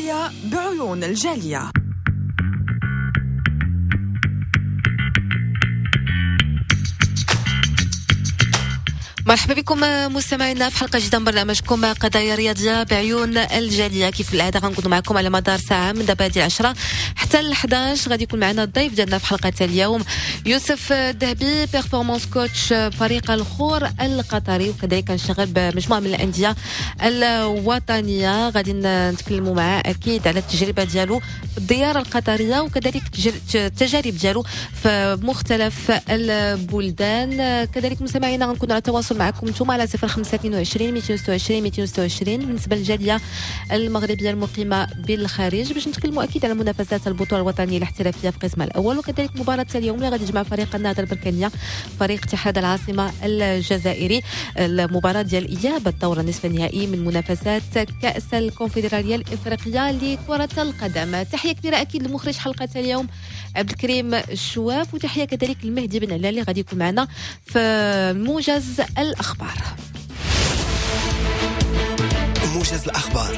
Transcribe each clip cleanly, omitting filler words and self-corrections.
قضايا بعيون الجالية. مرحبا بكم مستمعينا في حلقة جديدة من برنامجكم قضايا رياضية بعيون الجالية. كيف العادة غنكونوا معكم على مدار ساعة من دابا ديال 10 حتى ل 11. غادي يكون معنا الضيف ديالنا في حلقة اليوم يوسف الذهبي، performance coach فريق الخور القطري، وكذلك كنشتغل بمجموعة من الأندية الوطنية. غادي نتكلموا معاه أكيد على التجربة ديالو في الديار القطرية وكذلك التجارب ديالو في مختلف البلدان. كذلك مستمعينا غنكونوا على تواصل معكم انتم على 0522 226 226 بالنسبة للجاليه المغربية المقيمه بالخارج باش نتكلموا اكيد على منافسات البطولة الوطنية الاحترافية في قسمها الاول، وكذلك مباراة اليوم اللي غادي تجمع فريق النهضة البركانيه فريق اتحاد العاصمة الجزائري، المباراة ديال اياب الدور النصف النهائي من منافسات كاس الكونفدراليه الافريقية لكرة القدم. تحية كبيرة اكيد لمخرج حلقة اليوم عبد الكريم الشواف، وتحية كذلك المهدي بن علال اللي غادي يكون معنا في موجز الأخبار. موجز الأخبار.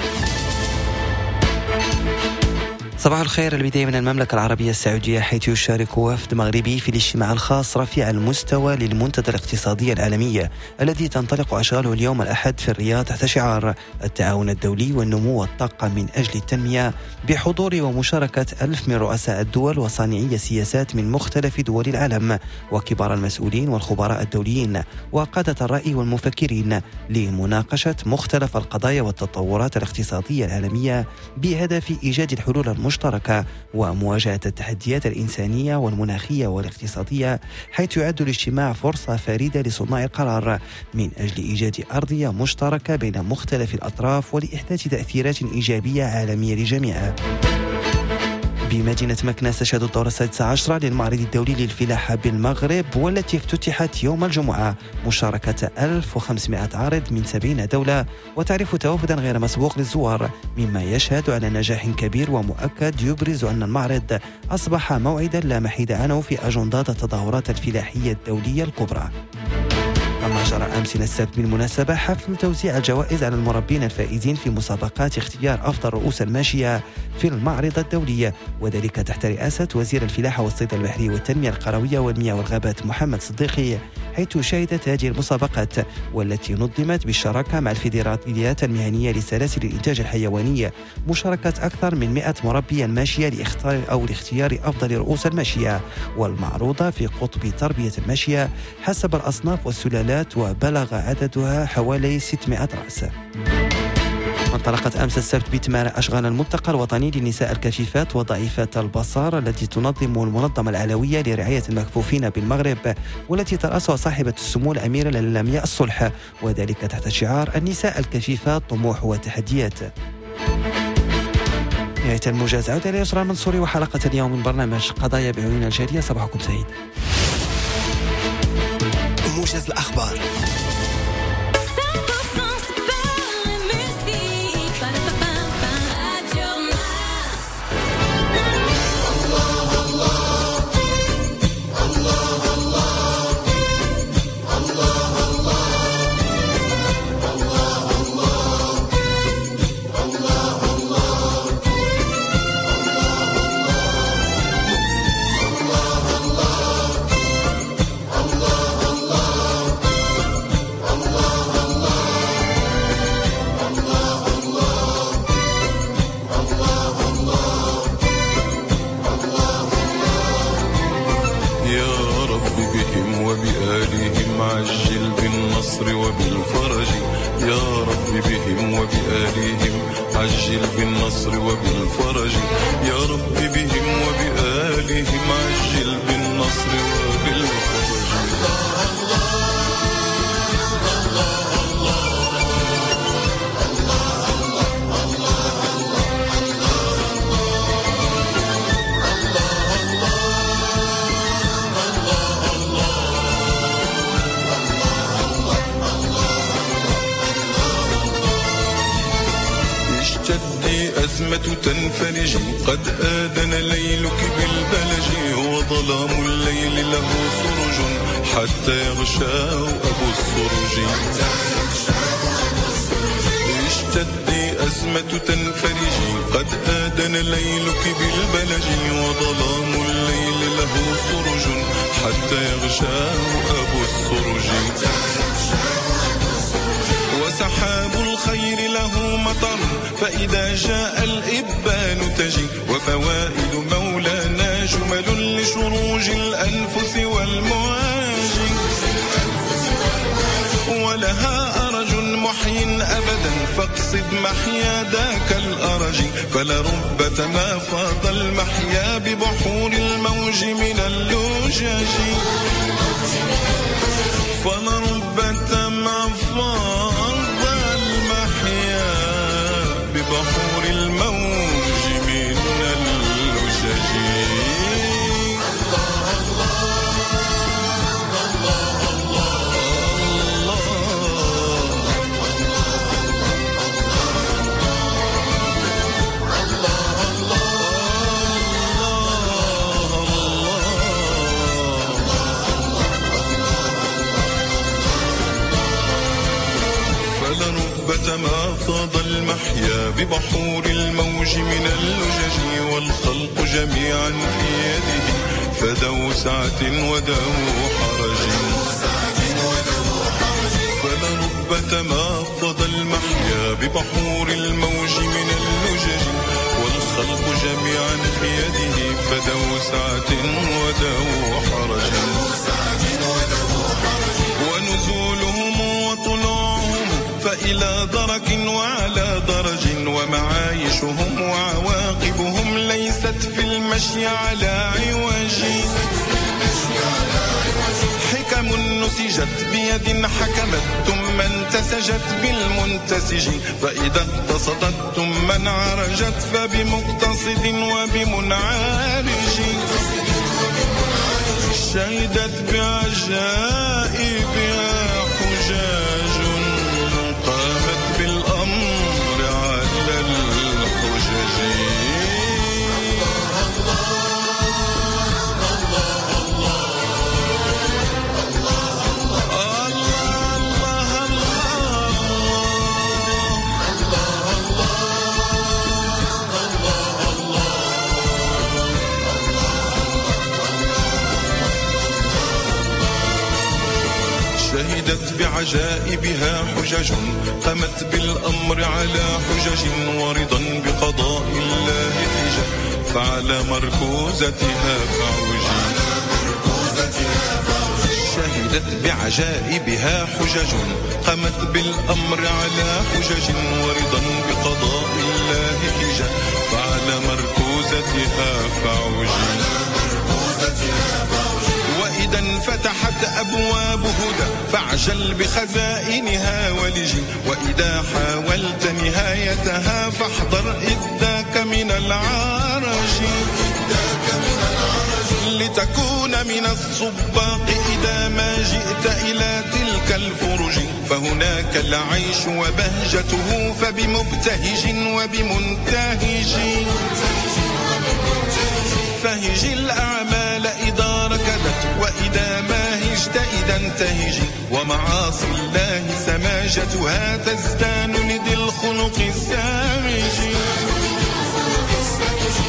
صباح الخير. البداية من المملكة العربية السعودية، حيث يشارك وفد مغربي في الاجتماع الخاص رفيع المستوى للمنتدى الاقتصادي العالمي الذي تنطلق أشغاله اليوم الأحد في الرياض تحت شعار التعاون الدولي والنمو والطاقة من أجل التنمية، بحضور ومشاركة 1000 من رؤساء الدول وصانعي السياسات من مختلف دول العالم وكبار المسؤولين والخبراء الدوليين وقادة الرأي والمفكرين لمناقشة مختلف القضايا والتطورات الاقتصادية العالمية بهدف إيجاد الحلول المشتركة ومواجهة التحديات الإنسانية والمناخية والاقتصادية، حيث يعد الاجتماع فرصة فريدة لصناع القرار من أجل إيجاد أرضية مشتركة بين مختلف الأطراف ولإحداث تأثيرات إيجابية عالمية للجميع. بمدينة مكناس تشهد الدورة 16 للمعرض الدولي للفلاحة بالمغرب، والتي افتتحت يوم الجمعة مشاركة 1500 عارض من 70 دولة، وتعرف توافدا غير مسبوق للزوار، مما يشهد على نجاح كبير ومؤكد يبرز أن المعرض أصبح موعدا لا محيد عنه في أجندات التظاهرات الفلاحية الدولية الكبرى. كما جرى أمس السبت بالمناسبة حفل توزيع الجوائز على المربين الفائزين في مسابقات اختيار أفضل رؤوس الماشية في المعرض الدولي، وذلك تحت رئاسة وزير الفلاحة والصيد البحري والتنمية القروية والمياه والغابات محمد صديقي، حيث شهدت هذه المسابقات والتي نظمت بالشراكة مع الفيدراليات المهنية لسلاسل الإنتاج الحيواني مشاركة أكثر من 100 مربي الماشية لاختيار أفضل رؤوس الماشية والمعروضة في قطب تربية الماشية حسب الأصناف والسلالات، وبلغ عددها حوالي 600 رأس. انطلقت أمس السبت بتمارة أشغال الملتقى الوطني للنساء الكفيفات وضعيفات البصر التي تنظم المنظمة العلوية لرعاية المكفوفين بالمغرب، والتي ترأسها صاحبة السمو الأميرة للمياء الصلح، وذلك تحت شعار النساء الكفيفات طموح وتحديات. نهاية الموجز، عودة ليسرى المنصوري وحلقة اليوم من برنامج قضايا بعيون الجالية. صباحكم سعيد. موجز الأخبار. عجل بالنصر وبالفرج يا رب بهم وبآلهم، عجل بالنصر وبالفرج يا رب بهم وبآلهم، عجل بالنصر وبالفرج. أزمة تنفرج قد آذن ليلك بالبلج، وظلام الليل له سرج حتى يغشاه أبو السرج. اشتدي أزمة تنفرجي، قد آذن ليلك بالبلج، وظلام الليل له سرج حتى يغشاه أبو السرج. وسحاب الخير له مطر فإذا جاء الإبان تجي، وفوائد مولانا جمل لشروج الأنفس والمواج. ولها أرج محي أبدا فاقصد محيا ذاك الأرج، فلربة ما فاض المحيا ببحور الموج من اللجج. فلربة ما فاض المحيا ببحور الموج من اللجج. ما فاض المحيا ببحور الموج من اللجج، والخلق جميعا في يده فذو سعة وذو حرج. فلربة ما فاض المحيا ببحور الموج من اللجج، والخلق جميعا في يده فذو سعة وذو حرج. ونزولهم وطلوعهم فإلى درك وعلى درج، ومعايشهم وعواقبهم ليست في المشي على عوج. حكم نسجت بيد حكمت ثم انتسجت بالمنتسج، فإذا اقتصدت ثم انعرجت فبمقتصد وبمنعرج. شهدت بعجائبها حجاج قامت بالأمر على الحجج. شهدت بعجائبها حجج قامت بالأمر على حجج، ورضا بقضاء الله حجة فعلى مركوزتها فعوج. شهدت بعجائبها حجج قامت بالأمر على حجج، ورضا بقضاء الله حجة فعلى مركوزتها فعوج. وإذا انفتحت أبواب هدى فاعجل بخزائنها ولج، وإذا حاولت نهايتها فاحذر إذ ذاك من العرج. لتكون من السباق إذا ما جئت إلى تلك الفرج، فهناك العيش وبهجته فبمبتهج وبمنتهج. فهج الأعمال إذا ركدت، وإذا ما هجت إذا انتهج، ومعاصي الله سماجتها تزدان لذي الخلق السامج.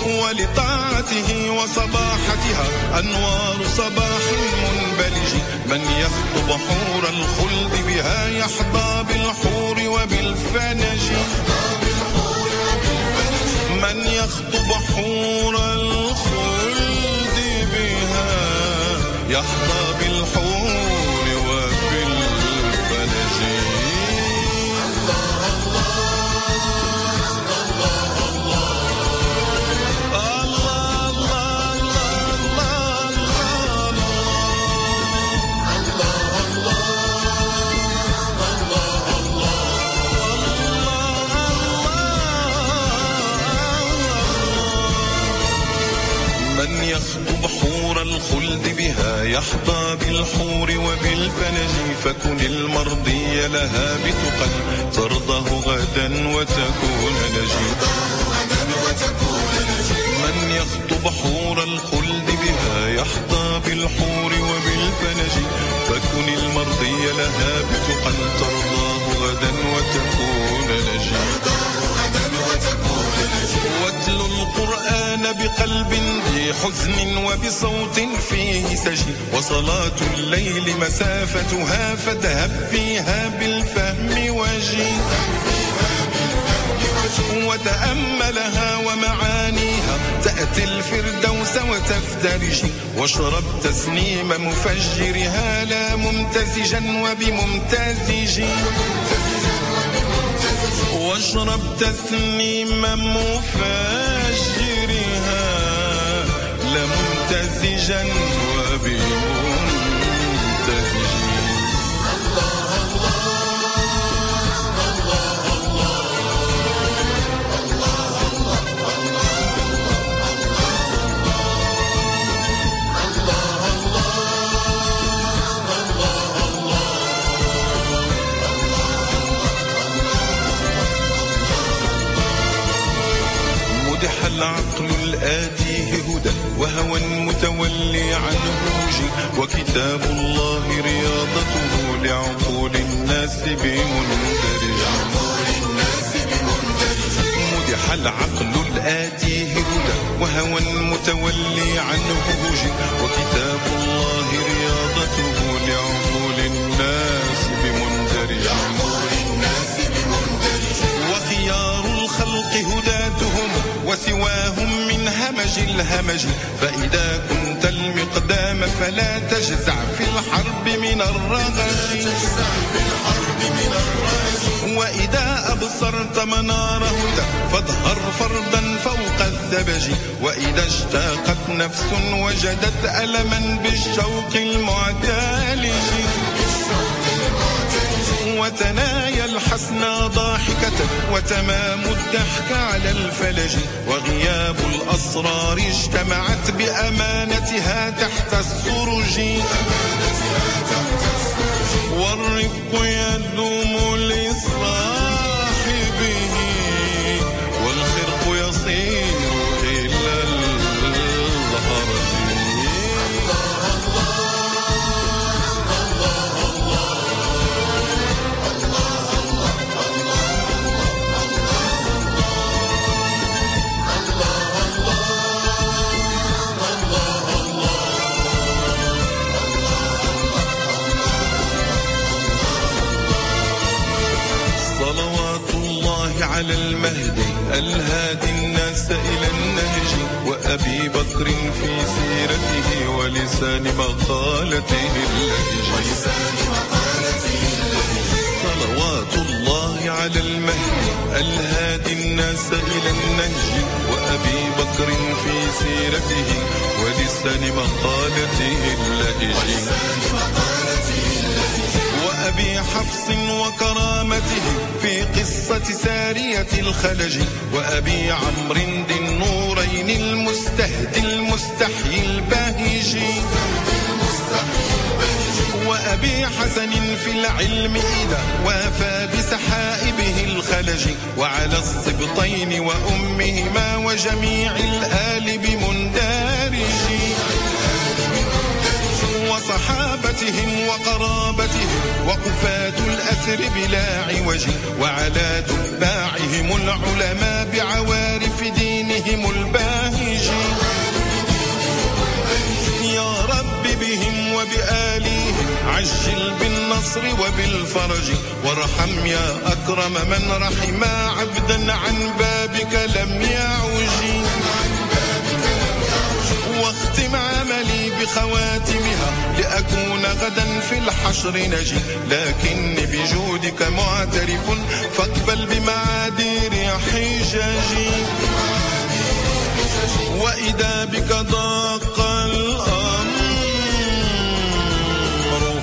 ولطاعته وصباحتها أنوار صباح منبلج، من يخطب حور الخلد بها يحظى بالحور وبالفنج. من يخطب حور الخلد بها يحظى بالحور وبالفنج. الله الله الله الله الله من يخطب حور الخلد بها يحظى بالحور وبالفنج، فكن المرضي لها بتقى ترضاه غدا وتكون نجي. من يخطب بحور الخلد بها يحظى بالحور وبالفلج فكن المرضي لها بتقى ترضاه غدا وتكون نجي. واتل القرآن بقلب ذي حزن وبصوت فيه سجي، وصلاة الليل مسافتها فاذهب فيها بالفهم وجي، وتأملها ومعانيها تأتي الفردوس وتفترج، واشرب تسنيم مفجرها لا ممتزجا وبممتزج، واشرب تسنيم مفجرها لا ممتزجا وبممتزج. العقل الآتيه هدى وهوى متولي عنه وجي، وكتاب الله رياضته لعقول الناس بمندرج. مدح العقل الآتيه هدى وهوى متولي عنه وجي، وكتاب الله رياضته لعقول الناس بمندرج. وخيار الخلق هداتهم وسواهم من همج الهمج، فإذا كنت المقدام فلا تجزع في الحرب من الرغج. وإذا أبصرت منار هدى فاظهر فردا فوق الثبج، وإذا اشتاقت نفس وجدت ألما بالشوق المعتالج. وتنايا الحسنى ضاحكة وتمام الضحك على الفلج، وغياب الأسرار اجتمعت بأمانتها تحت السرج، والرفق يدوم لصاحبه والخرق يصير إلى الهرج. صلوات الله على المهدي الهادي الناس إلى النهج، وأبي بكر في سيرته ولسان مقالته اللهج. صلوات الله على المهدي الهادي الناس إلى النهج، وأبي بكر في سيرته ولسان مقالته اللهج. وأبي حفص وكرامته في قصة سارية الخلج، وأبي عمرو ذي النورين المستهدي المستحيي الباهج، وأبي حسن في العلم إذا وافى بسحائبه الخلج، وعلى السبطين وأمهما وجميع الآل بمندارج، وصحابتهم وقرابتهم وقفاة الأثر بلا عوج، وعلى تباعهم العلماء بعوارف دينهم الباهج. يا رب بهم وبآليهم عجل بالنصر وبالفرج، وارحم يا أكرم من رحم عبدا عن بابك لم يعج، واختم عملي بخواتمها لأكون غدا في الحشر نجي، لكني بجودك معترف فاقبل بمعاذير حجاجي. وإذا بك ضاق الأمر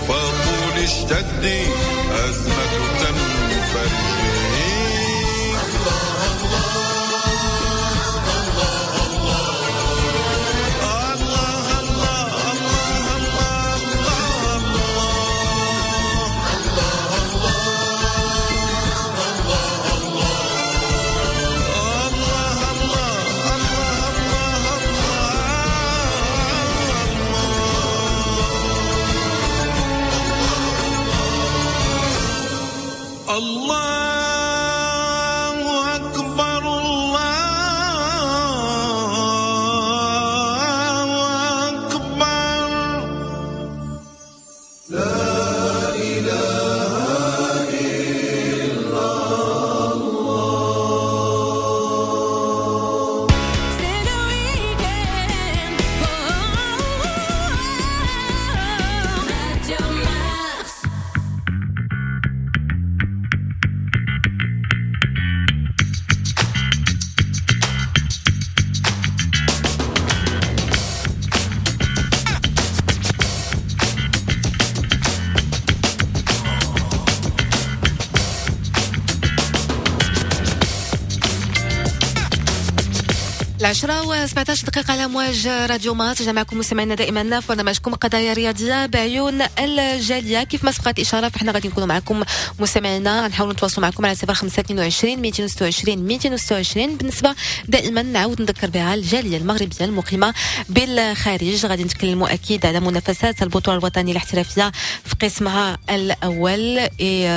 فقل اشتدي أزمة تنفرجي. الله الله الله الله الله. 10:17 على مواج راديو مارس. رجعنا معكم مستمعينا دائما في برنامجكم قضايا رياضية بعيون الجالية. كيف ما سبقت الاشارة فاحنا غادي نكونوا معكم مستمعينا، نحاولوا نتواصلوا معكم على 0522 226 226. بالنسبة دائما نعاود نذكر بها الجالية المغربية المقيمه بالخارج، غادي نتكلموا اكيد على منافسات البطولة الوطنية الاحترافية في قسمها الاول et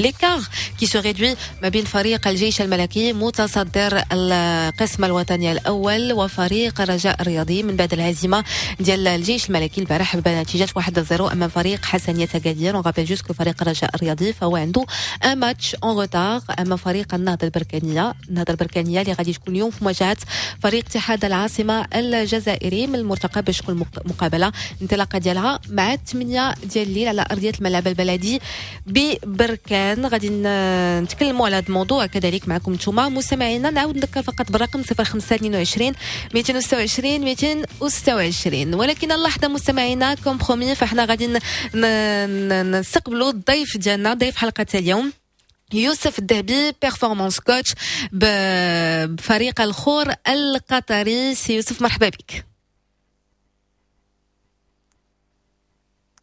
l'écart qui se réduit ما بين فريق الجيش الملكي متصدر القسم الوطني الأول وفريق الرجاء الرياضي من بعد الهزيمة ديال الجيش الملكي البارح بنتيجة 1-0 أمام فريق حسنية أكادير. On rappelle juste que فريق الرجاء الرياضي فهو عنده un match en retard أمام فريق النهضة البركانية، النهضة البركانية اللي غادي تكون اليوم في مواجهة فريق اتحاد العاصمة الجزائري، من المرتقب باش تكون مقابلة الانطلاقة ديالها مع 8 ديال الليل على أرضية الملعب البلدي ببركان. غادي نتكلموا على هذا الموضوع كذلك معكم نتوما مستمعينا. نعاود نذكر فقط بالرقم 0522 226 226. ولكن اللحظة مستمعينا comme promis فاحنا غادي نستقبلوا الضيف ديالنا، ضيف حلقة اليوم يوسف الذهبي، performance coach بفريق الخور القطري. سي يوسف مرحبا بك.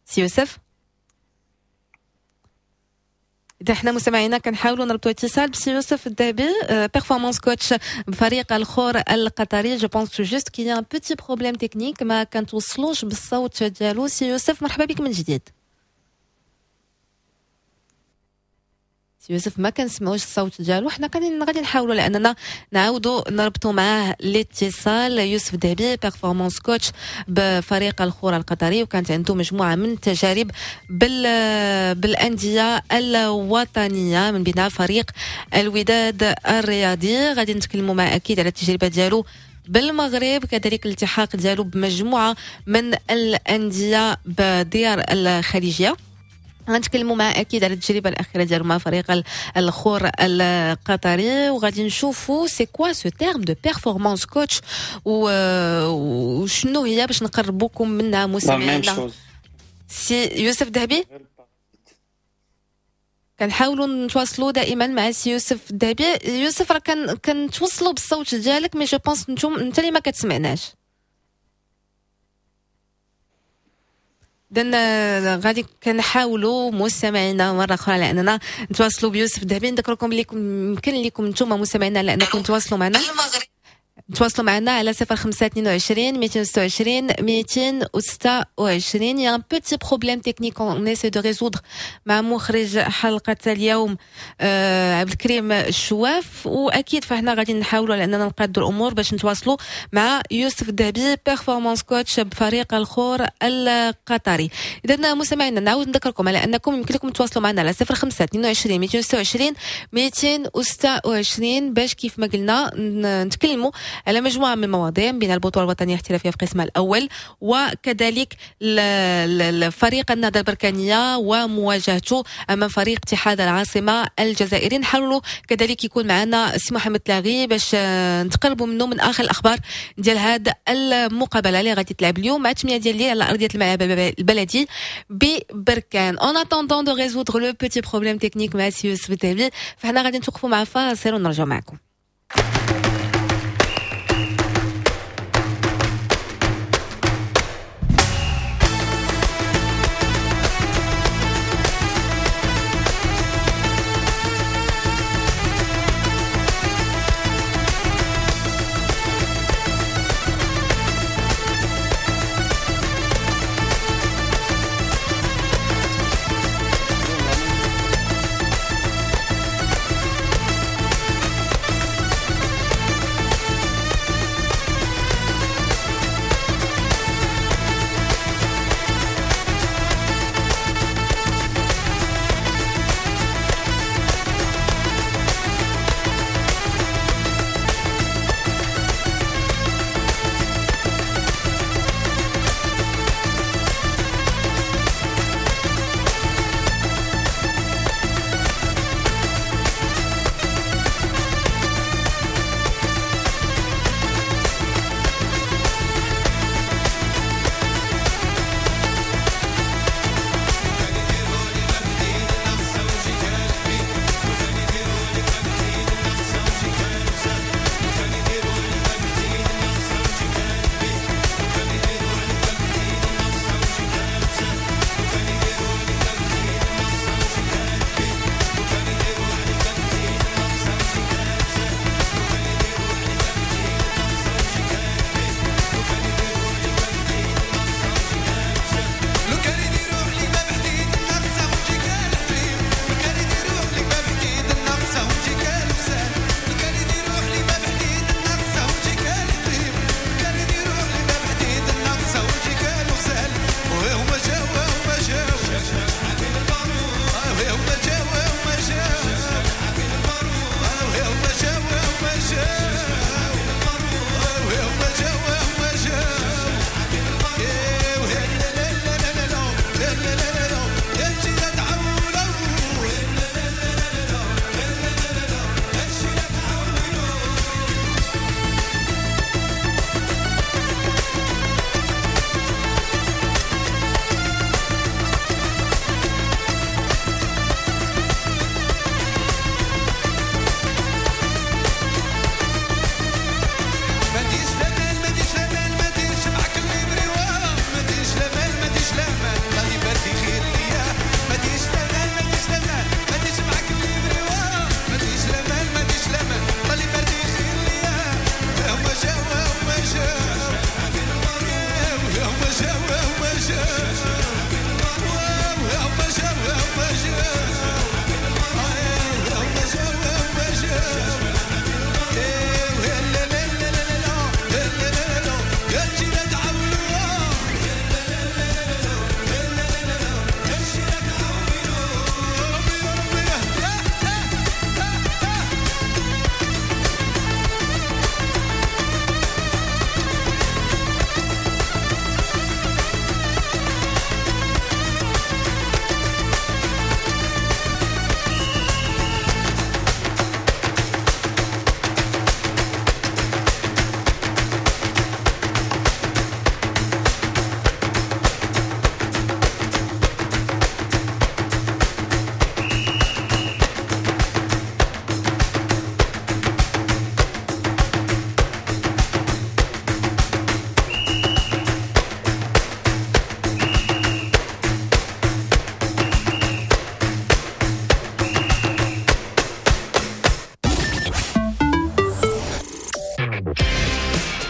سي يوسف، إذا احنا مستمعينا كنحاولوا نربطوا اتصال بسي يوسف الذهبي performance coach بفريق الخور القطري. Je pense juste qu'il y a un petit problème technique، ما كنتوصلوش بالصوت ديالو. سي يوسف مرحبا بك من جديد. سي يوسف ما كنسمعوش الصوت ديالو، حنا غادي نحاولوا لاننا نعاودوا نربطوا معاه الاتصال. يوسف الذهبي performance coach بفريق الخور القطري، وكانت عنده مجموعة من التجارب بالاندية الوطنية من بينها فريق الوداد الرياضي. غادي نتكلموا مع اكيد على التجربة ديالو بالمغرب، كذلك الالتحاق ديالو بمجموعه من الاندية بديار الخليجية. غنتكلموا مع اكيد على التجربة الاخيرة ديالو مع فريق الخور القطري، وغادي نشوفوا c'est quoi ce terme de performance coach وشنو هي باش نقربوكم منها مستمعينا. سي يوسف الذهبي، كنحاولوا نتواصلوا دائما مع سي يوسف الذهبي. يوسف راه كنتوصلوا بالصوت ديالك، mais je pense انت اللي ما كتسمعناش. إذن غادي كنحاولوا مستمعينا مرة أخرى لأننا نتواصلوا بيوسف الذهبي. نذكركم لكم يمكن لكم نتوما مستمعينا لأنكم تواصلوا معنا، تواصلوا معنا على 0522 226 226. Il y a un petit problème technique on essaie de résoudre مع مخرج حلقة اليوم عبد الكريم الشواف، وأكيد فاحنا غادي نحاولوا لأننا نقادوا الأمور باش نتواصلوا مع يوسف الذهبي performance coach بفريق الخور القطري. إذا مستمعينا نعاود نذكركم على أنكم يمكن لكم تواصلوا معنا على 0522 226 226 باش كيف ما قلنا نتكلموا على مجموعة من المواضيع بين البطولة الوطنية الاحترافية في قسمها الأول، وكذلك الفريق النهضة البركانية ومواجهته أمام فريق اتحاد العاصمة الجزائري. نحاولوا كذلك يكون معنا سي محمد لاغي باش نتقربوا منه من آخر الأخبار ديال هذا المقابلة اللي غادي تلعب اليوم مع 8 ديال الليل على أرضية الملعب البلدي ببركان. En attendant de résoudre le petit problème technique مع سي يوسف الذهبي، فحنا غادي نتوقفوا مع فاصل ونرجعوا معكم.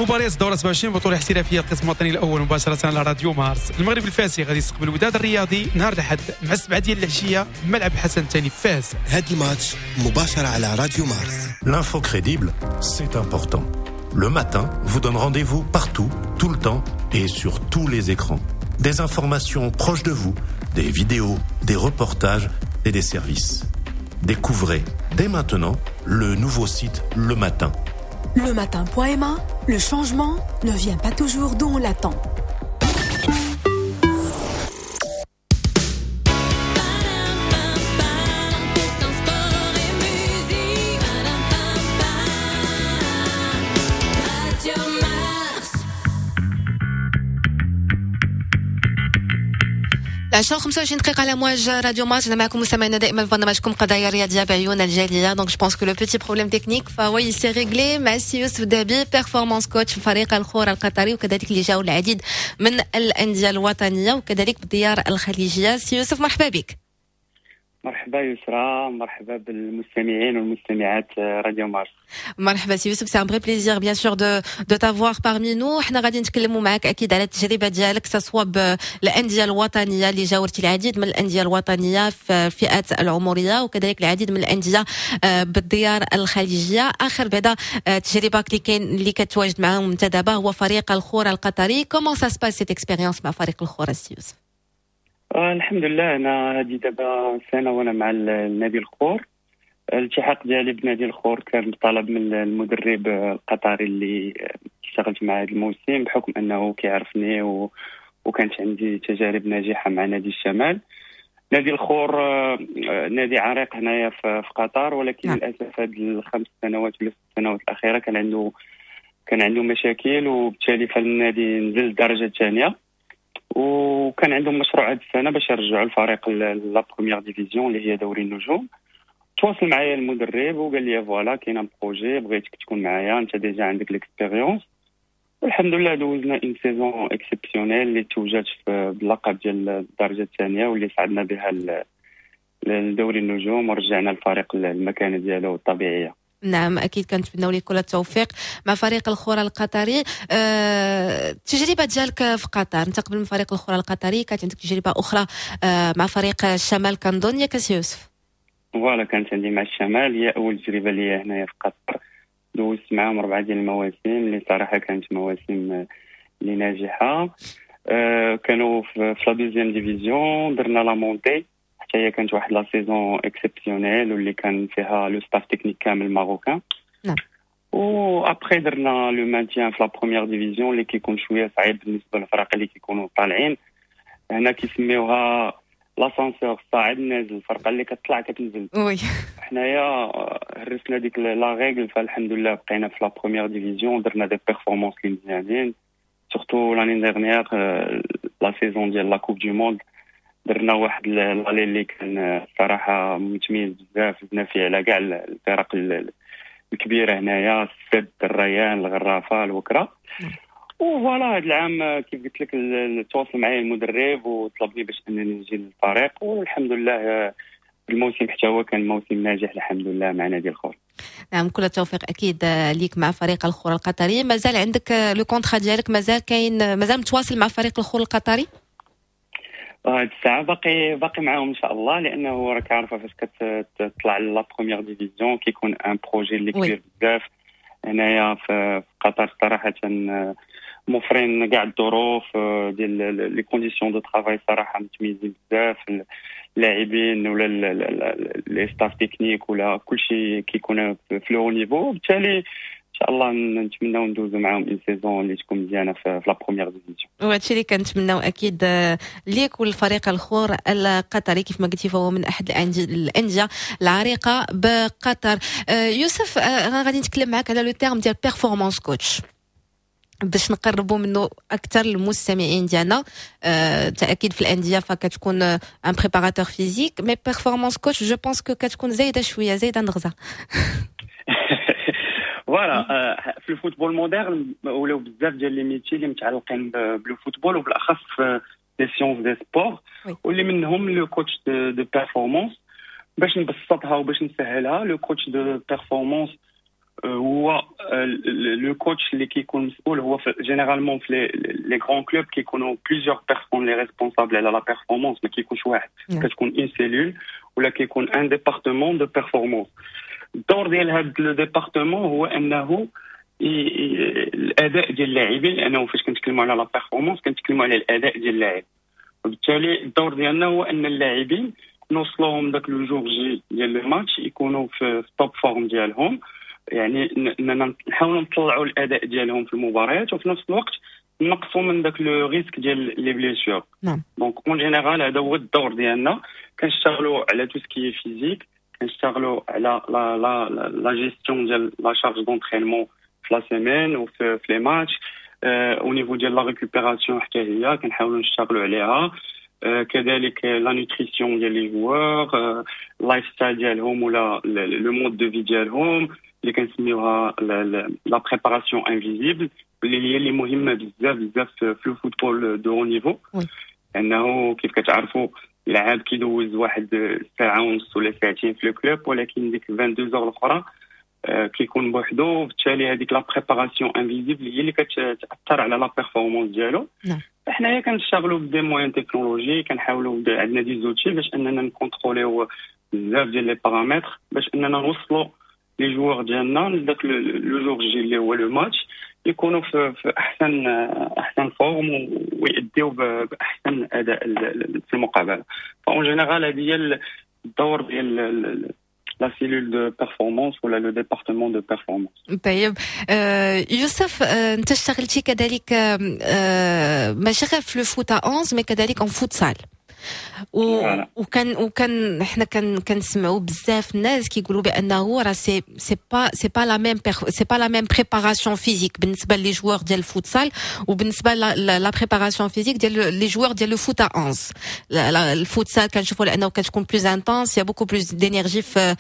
مباريات الدورة 27 بطوله احترافية القسم الوطني الاول مباشرة على راديو مارس. المغرب الفاسي غادي يستقبل الوداد الرياضي نهار الاحد مع 7 ديال العشية ملعب حسن الثاني فاس. هذا الماتش مباشرة على راديو مارس. L'info crédible, c'est important. Le matin vous donne rendez-vous partout, tout le temps et sur tous les écrans. Des informations proches de vous, des vidéos, des reportages et des services. Découvrez dès maintenant le nouveau site Le Matin. Le matin.ma, le changement ne vient pas toujours d'où on l'attend. عشرة 25 دقيقة على مواج راديو مارس. أنا معكم مستمعينا دائما في برنامجكم قضايا رياضية بعيون الجالية. donc je pense que le petit problème technique فهو s'est réglé مع السي يوسف دهبي، performance coach في فريق الخور القطري، وكذلك اللي جاوا العديد من الأندية الوطنية وكذلك بالديار الخليجية. سي يوسف مرحبا بك. مرحبا يسرا، مرحبا بالمستمعين والمستمعات راديو مارس. مرحبا سي يوسف، c'est un vrai plaisir bien sûr de t'avoir parmi nous. حنا غادي نتكلموا معك اكيد على التجربة ديالك، سواء بالاندية الوطنية اللي جاورتي العديد من الاندية الوطنية في الفئات العمرية، وكذلك العديد من الاندية بالديار الخليجية. اخر بعدا تجربه اللي كاين اللي كتواجد معاهم انت دابا هو فريق الخور القطري. comment ça se passe cette expérience مع فريق الخور سي يوسف؟ الحمد لله، انا هذه دابا سنة وانا مع النادي الخور. الالتحاق ديالي بنادي الخور كان بطلب من المدرب القطري اللي اشتغلت معه هذا الموسم، بحكم انه كيعرفني وكانت عندي تجارب ناجحة مع نادي الشمال. نادي الخور نادي عريق هنايا في قطر، ولكن للاسف هذه الخمس سنوات ولا ست سنوات الاخيرة كان عنده مشاكل، وبالتالي فالنادي نزل الدرجة الثانية. وكان عندهم مشروع هذه السنة باش يرجعوا الفريق la première division اللي هي دوري النجوم. تواصل معايا المدرب وقال لي voilà كاين un projet، بغيتك تكون معايا، انت déjà عندك l'expérience. والحمد لله دوزنا une saison exceptionnelle اللي توجات باللقب ديال الدرجة الثانية، واللي صعدنا بها لدوري النجوم ورجعنا الفريق للمكانه ديالو الطبيعية. نعم اكيد كنتمناو لك كل التوفيق مع فريق الخور القطري. التجربة ديالك في قطر، انت قبل من فريق الخور القطري كانت عندك تجربه اخرى مع فريق الشمال كنظن، ياك سي يوسف؟ voilà كانت عندي مع الشمال، هي اول تجربه ليا هنايا في قطر. دوزت معاهم 4 ديال المواسم اللي صراحة كانت مواسم اللي ناجحة. كانوا في la deuxième division، درنا la montée حتى هي كانت واحد la saison exceptionnelle واللي كان فيها le staff technique كامل marocain. نعم. و après درنا le maintien في la première division اللي كيكون شوية صعيب بالنسبة للفرق اللي كيكونوا طالعين. هنا كيسميوها l'ascenseur، الصاعد نازل، الفرقة اللي كتطلع كتنزل. oui حنايا هرسنا ديك la règle، فالحمد لله بقينا في la première division، درنا des performances اللي مزيانين، surtout l'année dernière la saison ديال la Coupe du Monde درنا واحد l'aller اللي كان صراحة متميز بزاف، فزنا فيه على كاع الفرق الكبيرة هنايا، السد، الريان، الغرافه، الوكره. و voilà هذا العام كيف قلت لك تواصل معايا المدرب وطلبني باش انني نجي للفريق، والحمد لله الموسم حتى هو كان موسم ناجح الحمد لله مع نادي الخور. نعم كل التوفيق اكيد ليك مع فريق الخور القطري. مازال عندك le contrat ديالك، مازال كاين، مازال متواصل مع فريق الخور القطري؟ هاد الساعة باقي معاهم ان شاء الله، لانه راك عارفه فاش كتطلع la première division كيكون un projet اللي كبير بزاف هنايا في قطر. صراحة موفرين كاع الظروف ديال les conditions de travail صراحة متميزين بزاف، اللاعبين ولا les staff techniques ولا كلشي كيكون في le haut niveau. وبالتالي ان شاء الله نتمناو ندوزو معاهم une saison اللي تكون مزيانه في la première division. وهادشي اللي كنتمناو اكيد ليك والفريق الخور القطري، كيف ما قلتي فهو من احد الاندية العريقه بقطر. يوسف غادي نتكلم معاك على le terme ديال performance coach باش نقربوا منه اكثر المستمعين ديالنا. تاكيد في الاندية فكتكون un préparateur physique، mais performance coach je pense que كتكون زايدة شوية، زايدة نغزه. voilà في ال football moderne ولاو بزاف ديال les métiers اللي متعلقين بال football، وبالاخص في les sciences des sports، واللي منهم le coach de performance. باش نبسطها وباش نسهلها، le coach de performance هو le coach اللي كيكون مسؤول. هو généralement في les grands clubs كيكونوا plusieurs personnes les responsables على la performance، ما كيكونش واحد، كتكون une cellule ولا كيكون un département de performance. الدور ديال هذا le département هو انه الاداء ديال اللاعبين، لانه فاش كنتكلموا على la performance كنتكلموا على الاداء ديال اللاعب، وبالتالي الدور ديالنا هو ان اللاعبين نوصلوهم داك le jour J ديال الماتش يكونوا في top forme ديالهم، يعني اننا نحاولوا نطلعوا الاداء ديالهم في المباريات وفي نفس الوقت نقصوا من داك le risque ديال les blessures. Donc en général هذا هو الدور ديالنا، كنشتغلوا على tout ce qui est physique، كنشتغلوا على la gestion ديال la charge d'entraînement في la semaine وفي les matchs، au niveau ديال la récupération حتى هي كنحاولوا نشتغلوا عليها، كذلك la nutrition ديال les joueurs، lifestyle ديالهم ولا le mode de vie ديالهم اللي كنسميوها la préparation invisible، اللي هي اللي مهمة بزاف بزاف في ال football de haut niveau، لانه كيف كتعرفوا اللاعب كيدوز واحد ساعة ونص ولا ساعتين في le club، ولكن ديك 22 heures الاخرى كيكون بوحدو، وبالتالي هذيك la préparation invisible هي اللي كتاثر على la performance ديالو. حنايا كنشتغلوا ب des moyens technologiques، كنحاولوا، عندنا des outils باش اننا نكونتروليو بزاف ديال les paramètres باش اننا نوصلوا les joueurs ديالنا لذاك le jour J اللي هو le match يكونوا في احسن forme ويأديو باحسن اداء في المقابله. ف en général هذه هي الدور ديال la cellule de performance ولا le département de performance. طيب يوسف، انت اشتغلتي كذلك ماشي غير في le foot à 11 mais كذلك en futsal، وكان حنا كنسمعوا بزاف الناس كيقولوا بانه راه c'est pas la même préparation physique بالنسبة les joueurs ديال الفوتسال وبالنسبة la préparation physique ديال les joueurs ديال le foot à 11. الفوتسال كنشوفوا لانه كتكون plus intense، y a beaucoup plus d'énergie في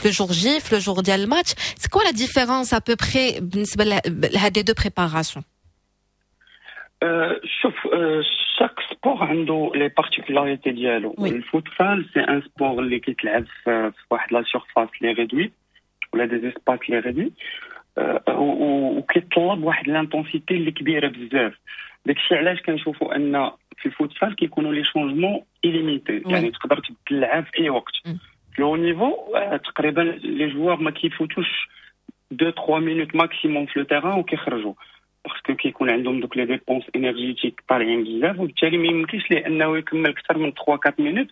le jour J، في le jour ديال الماتش. c'est quoi la différence à peu près بالنسبة لهاد les deux préparations؟ شوف، chaque sport عنده les particularités ديالو. الفوتسال c'est un sport اللي كيتلعب في واحد la surface اللي réduite ولا des espaces اللي réduits، وكيطلب واحد l'intensité اللي كبيرة بزاف. داكشي علاش كنشوفوا ان في الفوتسال كيكونوا les changements illimités، يعني تقدر تبدل اللعاب في اي وقت. في le haut niveau تقريبا les joueurs ما كيفوتوش 2 3 minutes maximum في le terrain وكيخرجوا، parce que كيكون عندهم دوك les dépenses énergétiques طالعين بزاف، وبالتالي ما يمكنش ليه انه يكمل اكثر من 3 4 minutes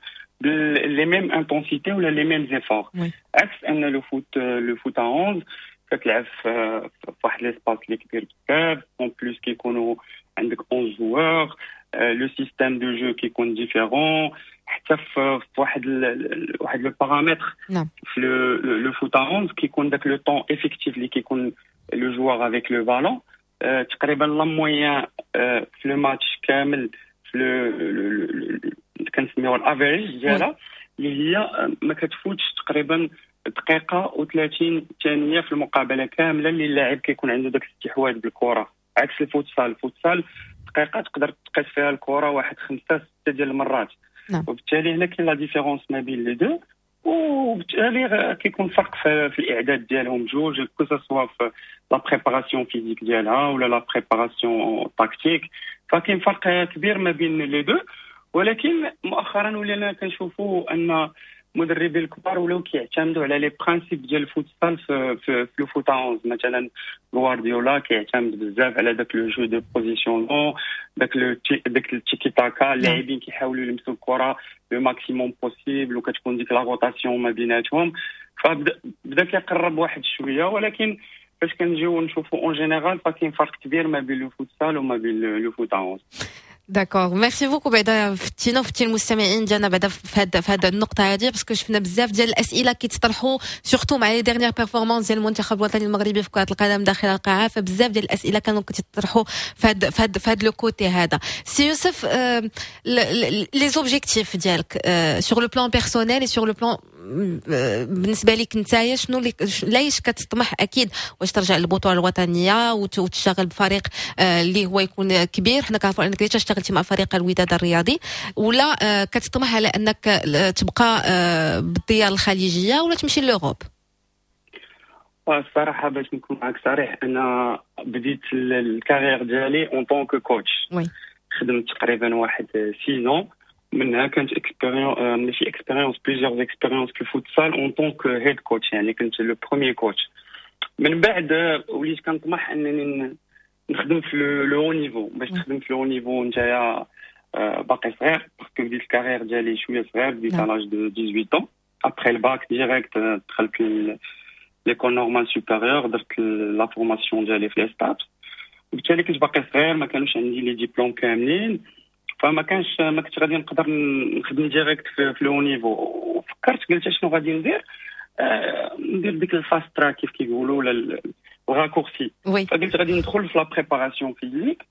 les mêmes intensités ولا les mêmes efforts، عكس ان le foot 11 كتلعب في واحد l'espace اللي كبير بزاف، en plus كيكونوا عندك 11 joueurs، le système de jeu كيكون différent. حتى في واحد le paramètre في le foot 11 كيكون داك le temps effectif اللي كيكون le joueur avec le ballon، تقريبا la moyenne في le match كامل في le كنسميوها ال average ديالها اللي هي ما كتفوتش تقريبا دقيقة و30 ثانية في المقابلة كاملة اللي اللاعب كيكون عنده داك الاستحواذ بالكره، عكس الفوتسال. الفوتسال دقيقة تقدر تقيس فيها الكره واحد خمسة ستة ديال المرات. وبالتالي هنا كاين la différence ما بين les deux، وبالتالي كيكون فرق في الاعداد ديالهم جوج، que ce soit في la préparation physique ديالها ولا la préparation tactique، فكاين فرق كبير ما بين les deux. ولكن مؤخرا ولينا كنشوفوا ان المدربين الكبار ولاو كيعتمدوا على les principes ديال الفوتسال في le foot 11. مثلا غوارديولا كيعتمد بزاف على داك le jeu de positionnement، داك التيكي تاكا، اللاعبين كيحاولوا يلمسوا الكره le maximum possible وكتكون ديك la rotation ما بيناتهم، فبدا كيقرب واحد شويه. ولكن فاش كنجيو نشوفوا en général فكاين فرق كبير ما بين le futsal وما بين le foot 11. d'accord، merci beaucoup. بعدا فتينا وفتي المستمعين ديالنا بعدا في هاد النقطة هذه، parce que شفنا بزاف ديال الاسئلة كيتطرحوا surtout مع les dernières performances ديال المنتخب الوطني المغربي في كره القدم داخل القاعه، فبزاف ديال الاسئلة كانوا كيتطرحوا في هاد le côté هذا. سي يوسف، les objectifs ديالك sur le plan personnel et sur le plan بالنسبة لك نتايا، شنو اللي لايش كتطمح؟ اكيد واش ترجع للبطولة الوطنية وتشتغل بفريق اللي هو يكون كبير؟ حنا كنعرفوا انك déjà اشتغلتي مع فريق الوداد الرياضي، ولا كتطمح على انك تبقى بالديار الخليجية ولا تمشي l'Europe؟ الصراحة باش نكون معك صريح، انا بديت ال carrière ديالي en tant que coach. oui. خدمت تقريبا واحد 6 ans، منها كانت expérience، ماشي expérience، plusieurs expériences في ال futsal en tant que head coach، يعني كنت le premier coach. من بعد وليت كنطمح انني نخدم في le haut niveau. باش تخدم في le haut niveau نتايا باقي صغير، parce que بديت ال carrière ديالي شوية صغير، بديت à l'âge de 18 ans après ال bac direct دخلت l'école normale supérieure، درت la formation ديالي في l'ESTAPS، وبالتالي كنت باقي صغير، ما كانوش عندي les diplômes كاملين، فما كانش ما كنت غادي نقدر نخدم direct في le haut niveau. وفكرت قلت شنو غادي ندير، ندير ديك ال fast track كيف كيقولوا ولا ال raccourci. فقلت غادي ندخل في la préparation physique،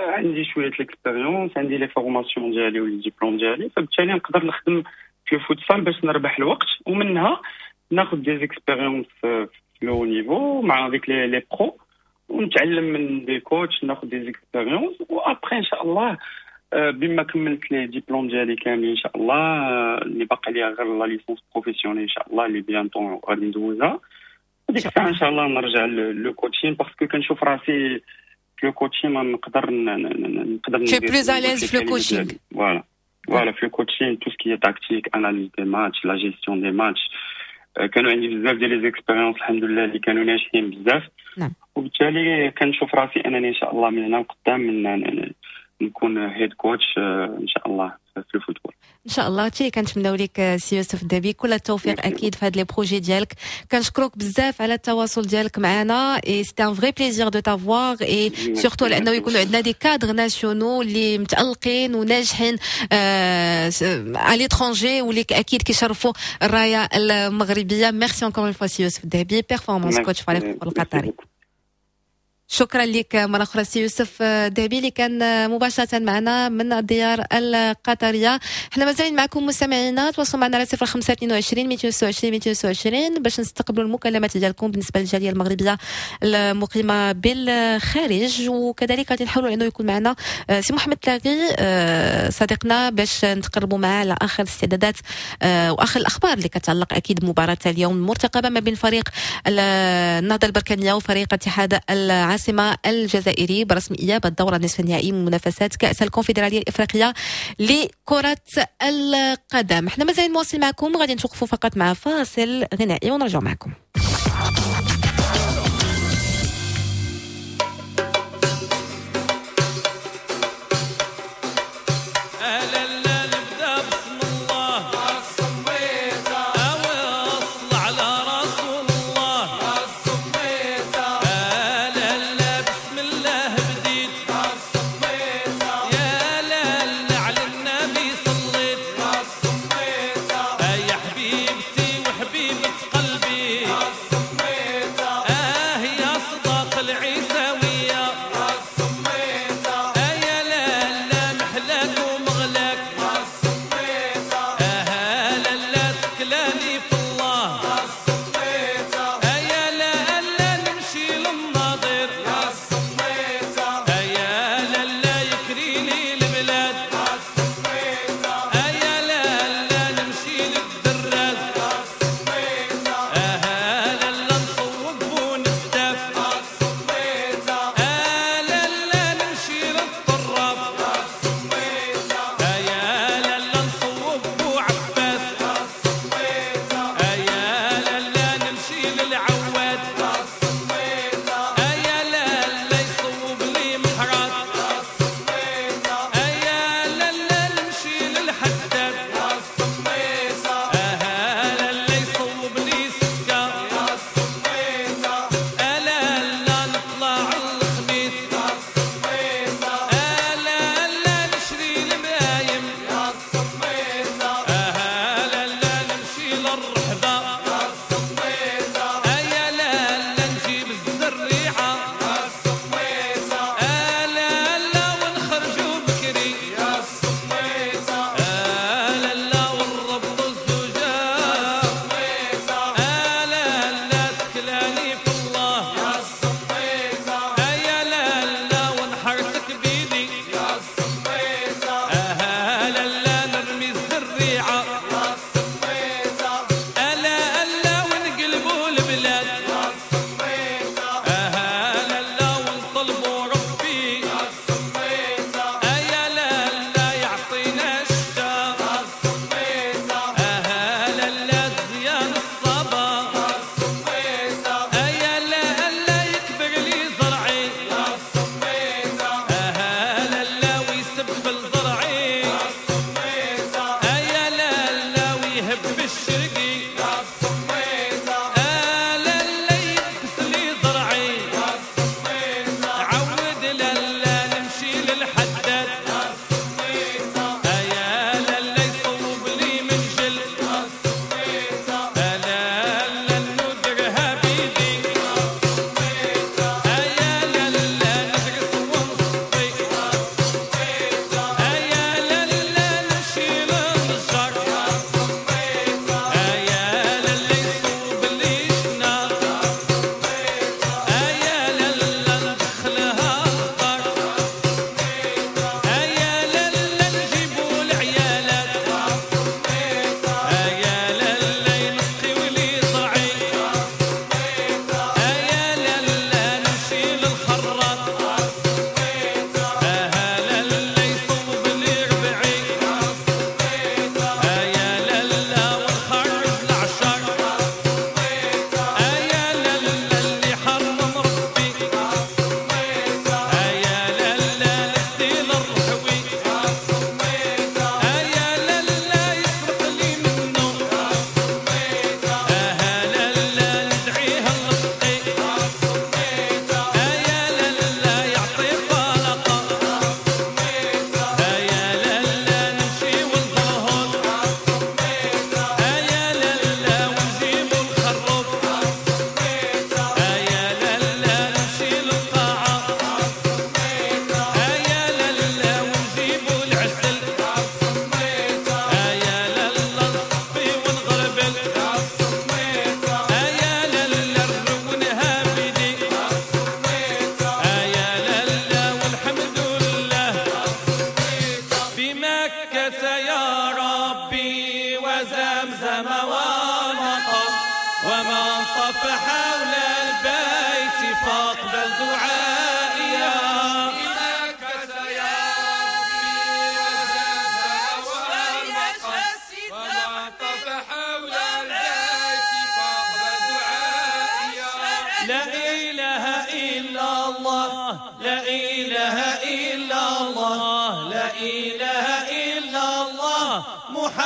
عندي شوية l'expérience، عندي les formations ديالي و les diplômes ديالي، فبالتالي نقدر نخدم في الفوتسال باش نربح الوقت، ومنها ناخذ des expériences في le haut niveau مع ديك les pros، ونتعلم من des coachs، ناخذ des expériences، و après ان شاء الله بما كملت les diplômes ديالي كاملين ان شاء الله، اللي باقي لي غير la licence professionnelle ان شاء الله اللي bientôt غادي ندوزها، وديك الساعة ان شاء الله نرجع le coaching، parce que كنشوف راسي في le coaching ما نقدر نقدر Tu es plus à l'aise في le coaching. voilà voilà، في le coaching، tout ce qui est tactique، analyse des matchs، la gestion des matchs. كانوا عندي بزاف ديال les expériences الحمد لله اللي كانوا ناجحين بزاف. وبالتالي كنشوف راسي انني ان شاء الله من هنا لقدام من نكون head coach ان شاء الله في ال football. ان شاء الله. هادشي كنتمناو لك سي يوسف الذهبي، كل التوفيق اكيد في هاد les projets ديالك. كنشكرك بزاف على التواصل ديالك معنا et c'était un vrai plaisir de t'avoir، et surtout لانه يكونوا عندنا des cadres nationaux اللي متالقين وناجحين à l'étranger واللي اكيد كيشرفوا الراية المغربيه. merci encore une fois سي يوسف الذهبي، performance coach فريق القطري. شكرا لك مرة أخرى سي يوسف دهبي اللي كان مباشرة معنا من الديار القطرية. احنا مازالين معكم مستمعينا، تواصلوا معنا على 05 22 226 226 باش نستقبلوا المكالمات ديالكم بالنسبة للجالية المغربية المقيمة بالخارج، وكذلك غادي نحاولوا انه يكون معنا سي محمد تلاغي صديقنا باش نتقربوا معاه على اخر الاستعدادات واخر الاخبار اللي كتعلق اكيد بمباراة اليوم المرتقبة ما بين فريق النهضة البركانية وفريق اتحاد العاصمة الجزائري برسم إياب الدورة النصف النهائي من منافسات كأس الكونفدرالية الإفريقية لكرة القدم. احنا مازال مواصل معكم، غادي نتوقفوا فقط مع فاصل غنائي ونرجع معكم. يا حبيبتي وحبيبة قلبي.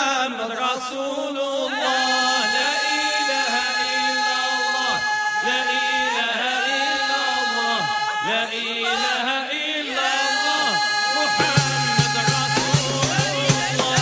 محمد رسول الله. لا إله إلا الله، لا إله إلا الله، لا إله إلا الله، محمد رسول الله.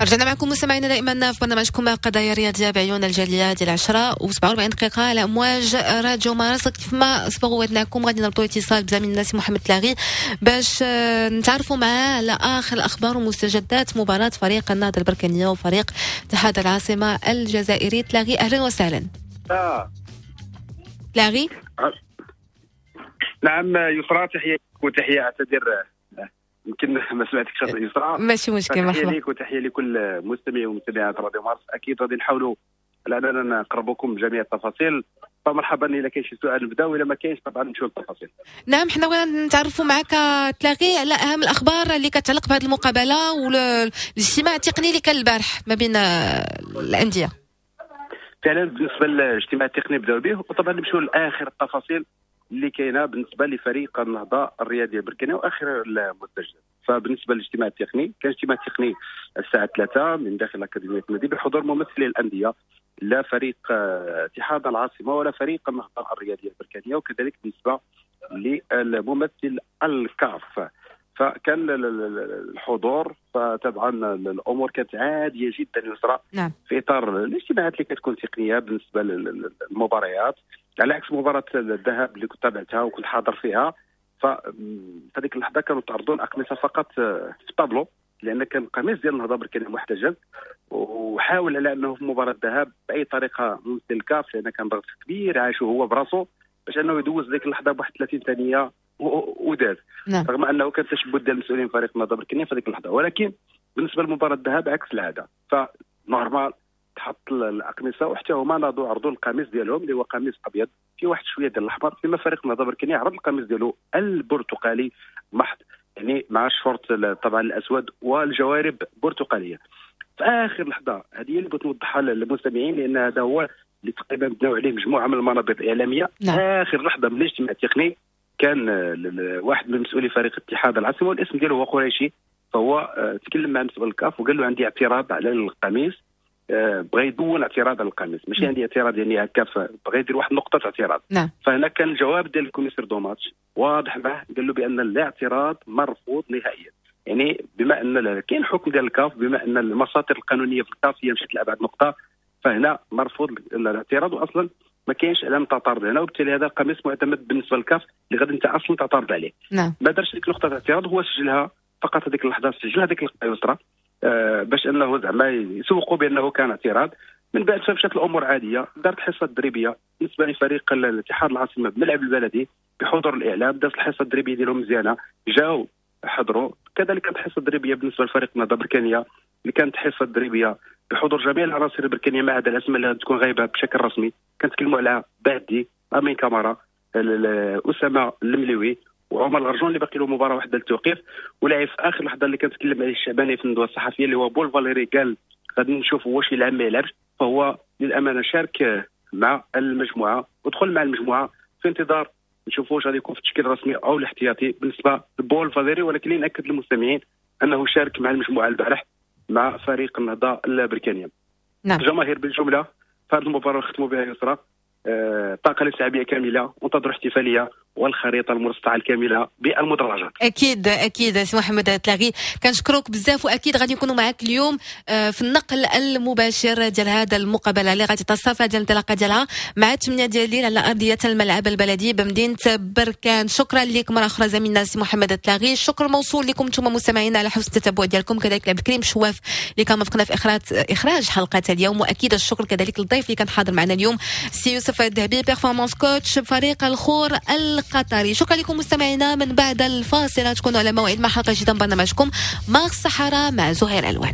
رجعنا معكم مستمعينا دائما في برنامجكم قضايا رياضية بعيون الجالية ديال 10:47 على امواج راديو مارس. كيف ما سبق وعدناكم غادي نربطوا اتصال بزميلنا سي محمد تلاغي باش نتعرفوا معاه على اخر الاخبار ومستجدات مباراة فريق النهضة البركانيه وفريق اتحاد العاصمة الجزائري. تلاغي اهلا وسهلا. تلاغي. نعم يسرى، تحية وتحية، اعتذر يمكن ما سمعتكش يسرى. ماشي مشكل، مرحبا. تحية ليك وتحية لكل مستمعي ومستمعات راديو مارس. اكيد غادي نحاولوا على اننا نقربكم جميع التفاصيل، فمرحبا. الا كاين شي سؤال نبداو، الا ما كاينش طبعا نمشيو للتفاصيل. نعم، حنا بغينا نتعرفوا معك تلاغي على اهم الاخبار اللي كتعلق بهذه المقابلة والاجتماع التقني اللي كان البارح ما بين الاندية. فعلا بالنسبة للاجتماع التقني بداو به، وطبعا نمشيو لاخر التفاصيل اللي كاينه بالنسبة لفريق النهضة الرياضية البركانيه واخر المستجدات. فبالنسبه للاجتماع التقني، كان اجتماع تقني الساعة 3 من داخل اكاديمية النادي بحضور ممثلي الاندية، لا فريق اتحاد العاصمة ولا فريق النهضة الرياضية البركانيه، وكذلك بالنسبة للممثل الكاف. فكان الحضور، فطبعا الامور كانت عادية جدا يسرى. نعم. في اطار الاجتماعات اللي كتكون تقنية بالنسبة للمباريات، على عكس مباراة الذهاب اللي كنت تابعتها وكنت حاضر فيها، فهذيك اللحظة كانوا تعرضون اقمصة فقط في الطابلو، لان كان القميص ديال النهضة بركانيه محتجز، وحاول على انه في مباراة الذهاب باي طريقه ممثل الكاف، لان كان ضغط كبير عاشه هو براسه باش انه يدوز ديك اللحظة بواحد 30 ثانية وداز. نعم. رغم انه كان تشبت ديال المسؤولين فريق النهضة بركانيه في هذيك اللحظة، ولكن بالنسبة لمباراة الذهاب عكس العادة، ف normal تحط الاقمصة، وحتى هما ناضوا عرضوا القميص ديالهم اللي هو قميص ابيض في واحد شوية ديال الاحمر، فيما فريق النهضة بركانيه عرض القميص ديالو البرتقالي محض، يعني مع الشورت طبعا الاسود والجوارب برتقاليه. في اخر لحظة، هذه هي اللي بغيت نوضحها للمستمعين، لان هذا هو اللي تقريبا بناو عليه مجموعة من المنابر الاعلامية. نعم. اخر لحظة من الاجتماع التقني كان واحد من مسؤولي فريق اتحاد العاصمة والاسم ديالو هو قريشي، فهو تكلم مع مسؤول الكاف وقال له عندي اعتراض على القميص، بغى يدون اعتراض على القميص، ماشي عندي اعتراض يعني هكا، بغى يدير واحد نقطة اعتراض. نعم. فهنا كان الجواب ديال ال commissaire de match واضح معه، قال له بان الاعتراض مرفوض نهائيا، يعني بما ان كاين حكم ديال الكاف، بما ان المساطر القانونية في الكاف هي مشات لابعد نقطة، فهنا مرفوض الاعتراض، واصلا ما كاينش علامة تعترض هنا، وبالتالي هذا القميص معتمد بالنسبة للكاف اللي غادي انت اصلا تعترض عليه. نعم. ما دارش ديك نقطة اعتراض، هو سجلها فقط هذيك اللحظة، سجلها هذيك اللقطة يسرى باش انه زعما يسوقوا بانه كان اعتراض. من بعد فمشات الامور عادية، دارت حصة تدريبية بالنسبة لفريق الاتحاد العاصمة بالملعب البلدي بحضور الاعلام، دارت الحصة التدريبية ديالهم مزيانه، جاو حضروا. كذلك كانت حصة تدريبية بالنسبة لفريق النهضة البركانيه اللي كانت حصة تدريبية بحضور جميع العناصر البركانيه ما عدا الاسماء اللي تكون غايبة بشكل رسمي. كنتكلموا على بعدي، امين كامارا، اسامة المليوي، وعمر الغرجون اللي باقي له مباراة واحدة للتوقيف. ولاعب في اخر لحظة اللي كنتكلم عليه الشعباني في الندوة الصحفية اللي هو بول فاليري، قال غادي نشوفوا واش يلعب ما يلعبش، فهو للامانة شارك مع المجموعة ودخل مع المجموعة في انتظار نشوفوا واش غادي يكون في التشكيل الرسمي او الاحتياطي بالنسبة لبول فاليري. ولكن اللي ناكد للمستمعين انه شارك مع المجموعة البارح مع فريق النهضة البركانيه. نعم. الجماهير بالجملة في هذه المباراة ختموا بها يسرى الطاقة الاستيعابيه كاملة، وانتظروا احتفالية والخريطه المرصعه الكاملة بالمدرجات. اكيد اكيد سي محمد تلاغي، كنشكرك بزاف، واكيد غادي نكونوا معك اليوم في النقل المباشر ديال هذا المقابلة اللي غادي تصافى ديال الانطلاقة ديالها مع 8 ديال الليل على ارضية الملعب البلدي بمدينة بركان. شكرا لك مرة اخرى زميلنا سي محمد تلاغي، الشكر موصول لكم انتم مستمعينا على حسن التتبع ديالكم، كذلك عبد الكريم شواف اللي كان وفقنا في اخراج حلقة اليوم، واكيد الشكر كذلك للضيف اللي كان حاضر معنا اليوم سي يوسف الذهبي performance coach فريق الخور القطري. شكرا لكم مستمعينا، من بعد الفاصل تكونوا على موعد مع حلقة جديدة من برنامجكم مارس الصحراء مع زهير ألوان.